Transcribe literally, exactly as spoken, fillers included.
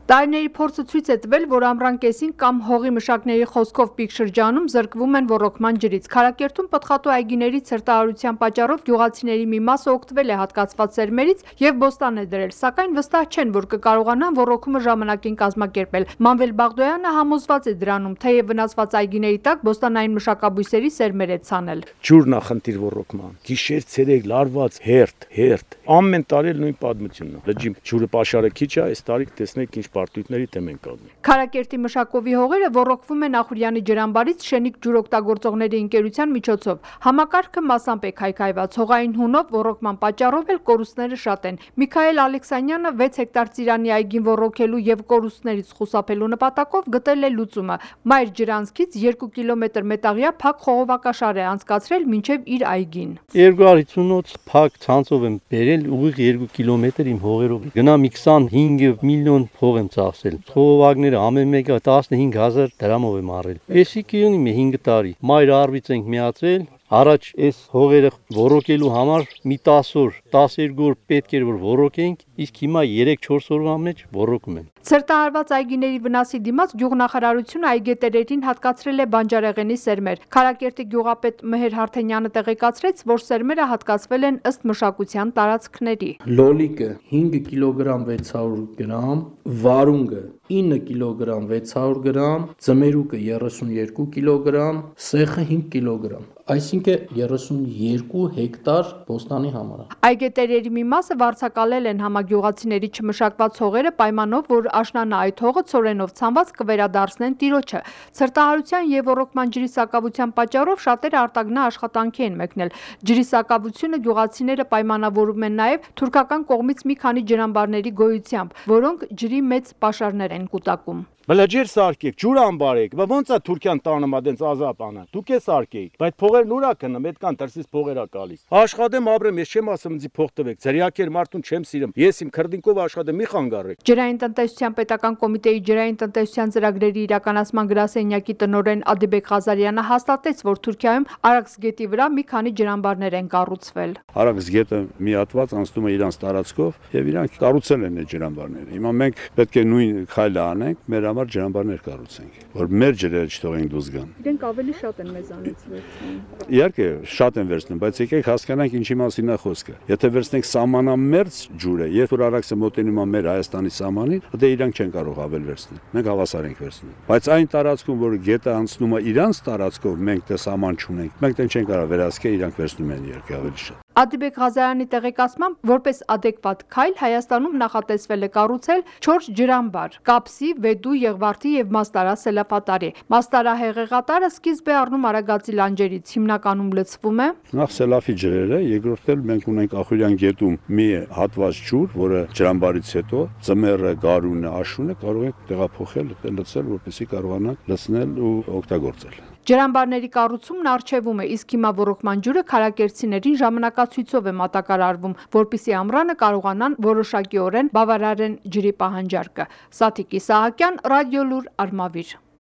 Տարիների փորձը ցույց է տվել, որ ամռան կեսին կամ հողի մշակների խոսքով պիկ շրջանում զրկվում են ոռոգման ջրից։ Քարակերտում պտղատու այգիների ցրտահարության պատճառով գյուղացիների մի մասը օգտվել է հատկացված սերմերից եւ բոստան է դրել, սակայն վստահ չեն, որ կկարողանան ոռոգումը ժամանակին կազմակերպել։ Մանվել Բաղդոյանը համոզված է դրանում, թեև վնասված այգիների տակ բոստանային մշակաբույսերի սերմեր է ցանել։ Ջուրն է խնդիր ոռոգման։ Գիշեր ցերեկ լարված հերթ, հերթ։ Ամեն տարի նույն պատմությունն է։ Լճի ջուրը պաշարը քիչ է, այս տարի տեսնեք ինչ պարտույտների դեմ են կազմում։ Քարակերտի մշակովի հողերը ոռոգվում են Ախուրյանի ջրամբարից Շենիկ ջուրօգտագործողների ընկերության միջոցով։ Համակարգը մասամբ է քայքայված, հողային հունով ոռոգման պատճառով էլ կորուստները շատ են։ Միքայել Ալեքսանյանը վեց հեկտար ծիրանի այգին ոռոգելու եւ կորուստներից խուսափելու նպատակով գտել է լուծումը։ Մայր ջրանցքից երկու կիլոմետր մետաղյա փակ խողովակաշար է անցկացրել մինչև իր այգին։ երկու հարյուր ութ փակ ցանցով եմ բերել ուղիղ երկու կիլոմետր իմ հողերով։ Գնամ քսանհինգ միլիոն փող եմ ծախսել։ Խողովակները ամեն մեկը տասնհինգ հազար դրամով եմ առել։ Էսի կիոնի մի հինգ տարի։ Մայր արվից ենք միացել։ Առաջ այս հողերը ոռոգելու համար մի տասը օր, տասներկու օր պետք էր որ ոռոգենք, իսկ հիմա երեք չորս օրվա մեջ ոռոգում են։ Ցրտահարված այգիների վնասի դիմաց գյուղնախարարությունը այգետերերին հատկացրել է բանջարեղենի սերմեր։ Քարակերտի գյուղապետ Մեհեր Հարթենյանը տեղեկացրեց, որ սերմերը հատկացվել են ըստ մշակության տարածքների։ Լոլիկը հինգ կիլոգրամ վեց հարյուր գրամ, վարունգը ինը կիլոգրամ վեց հարյուր գրամ, ձմերուկը երեսունյոթ կիլոգրամ, սեխը հինգ կիլոգրամ։ Այսինքն երեսունյոթ հեկտար բոստանի համար։ Այգետերերի մի մասը վարձակալել են համագյուղացիների չմշակված հողերը պայմանով, որ աշնանը այդ հողը ցորենով ցանված կվերադարձնեն տիրոջը։ Ցրտահարության եւ ոռոգման ջրի սակավության պատճառով շատերը արտագնա աշխատանքի են մեկնել։ Ջրի սակավությունը գյուղացիները պայմանավորում են նաեւ թուրքական կողմից մի քանի ջրամբարների գոյությամբ, որոնք ջրի մեծ պաշարներ են կուտակում։ Բլաջեր սարքեք, ջուր ամբարեք, բա ոնց է Թուրքիան տանում ադենց ազապանը։ Դուք է սարքեիք, բայց փողերն ուրա կնամ, այդքան դրսից փողերա գալիս։ Աշխատեմ, ապրեմ, ես չեմ ասում ինձ փող տվեք, ձրիակեր մարդուն չեմ սիրում։ Ես իմ քրդինկով աշխատեմ, մի խանգարեք։ Ջրային տնտեսության պետական կոմիտեի ջրային տնտեսության ծրագրերի իրականացման գրասենյակի տնօրեն Ադիբեկ Ղազարյանը հաստատեց, որ Թուրքիայում Արաքս գետի վրա մի քանի ջրամբարներ են կառուցվել։ Արաքս գետը մի հատված անցնում է իրանց տարածքով եւ իրանք կառուցել են այդ ջրամբարները։ Հիմա մենք պետք է նույն քայլը անենք, մեր համար ջրամբարներ կառուցենք, որ մեր ջրերը չթողենք դուրս գան։ Իրենք ավելի շատ են մեզանից վերցնում։ Իհարկե շատ են վերցնում, բայց եկեք հասկանանք ինչի մասին է խոսքը։ Եթե վերցնենք սահմանամերձ ջուրը, երբ որ Արաքսը մոտենում է մեր Հայաստանի սահմանին, դե իրանք չեն կարող ավել վերցնել։ Մենք հավասար ենք վերցնում։ Բայց այն տարածքում, որ գետը անցնում է իրանց տարածքով, մենք դե սահման չունենք։ Մենք դեն չեն կարող վերահսկել, իրանք վերցնում են իհարկե ավելի շատ։ Ադիբեկ Ղազարյանի տեղեկացմամբ, որպես ադեկվատ քայլ Հայաստանում նախատեսվել է կառուցել չորս ջրամբար՝ Կապսի, Վեդու, Եղվարդի եւ Մաստարա Սելապատարի։ Մաստարա հեղեղատարը սկիզբ է առնում Արագածի լանջերից, հիմնականում լցվում է նախ Սելաֆի ջրերը, երկրորդ էլ մենք ունենք Ախուրյան գետում մի հատված ջուր, որը ջրամբարից հետո ձմեռը, գարունը, աշունը կարող ենք տեղափոխել, լցել, որպեսզի կարողանանք լցնել ու օգտագործել։ Ջրամբարների կառուցումն առջևում է, իսկ հիմա ոռոգման ջուրը քարակերտցիներին ժամանակացույցով է մատակարարվում, որպեսզի ամռանը կարողանան որոշակիորեն բավարարեն ջրի պահանջարկը։ Սաթիկ Իսահակյան, Ռադիոլուր, Արմավիր։